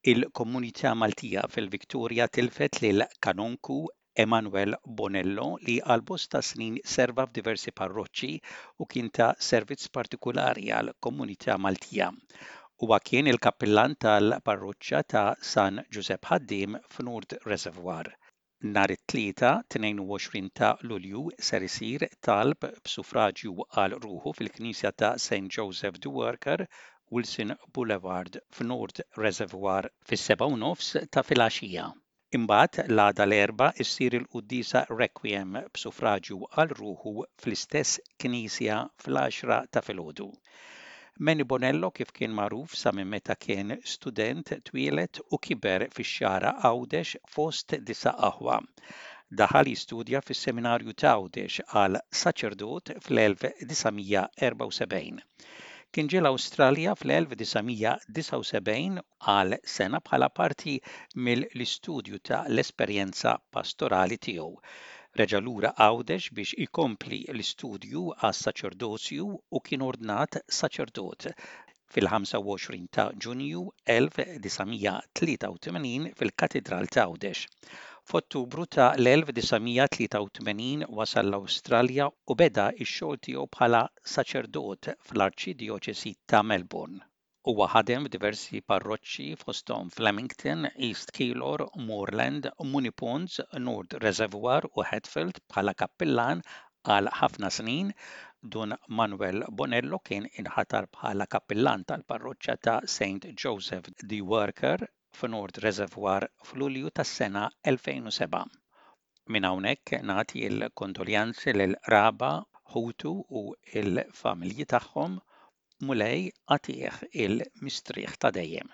Il-komunità Maltija fil-Victoria tilfet lil Kanonku Emanuel Bonello li għal bosta snin serva f'diversi parroċċi u kien ta' servizz partikulari għall-komunità Maltija. Huwa kien il-kappillan tal-parroċċa ta' San Ġużepp Ħaddiem f'North Reservoir. Nhar it-Tlieta 22 ta' Lulju ser isir talb b'suffraġju għal ruħu fil-Knisja ta' St Joseph the Worker, Wilson Boulevard f'North Reservoir fis-7:30 ta' filgħaxija. Imbagħad l-għada l-Erbgħa issir il-quddiesa Requiem b'suffraġju għal ruħu fl-istess knisja fl-għaxra ta' filgħodu. Manny Bonello kif kien magħruf sa minn meta kien student twieled u kiber fix-Xagħra Għawdex fost disa' aħwa. Daħal jistudja fis-Seminarju t'Għawdex għal saċerdot fl-1974. Kien ġie l-Awstralja fl-1979 għal sena bħala parti mill-istudju ta' l-esperjenza pastorali tiegħu. Reġa' lura Għawdex biex ikompli l-istudju għas-saċerdozju u kien ordnat saċerdot fil-25 ta' Ġunju 1983 fil-Katidral t'Għawdex. F'Ottubru ta' l-1983 wasal l-Awstralja u beda x-xogħol tiegħu bħala saċerdot fl-Arċidjoċesi ta' Melbourne. Huwa ħadem f'diversi parroċċi fosthom f'Lamington, East Keilor, Moreland, Moonee Ponds, North Reservoir u Hadfield bħala kappillan għal ħafna snin. Dun Manuel Bonello kien inħatar bħala kappillan tal-parroċċa ta' Saint Joseph the Worker f'North Reservoir f'Lulju tas-sena 2007. Minn hawnhekk nagħti l-kondoljanzi lill-qraba, ħutu u l-familji tagħhom. Mulej agħtih il-mistrieħ ta' dejjem.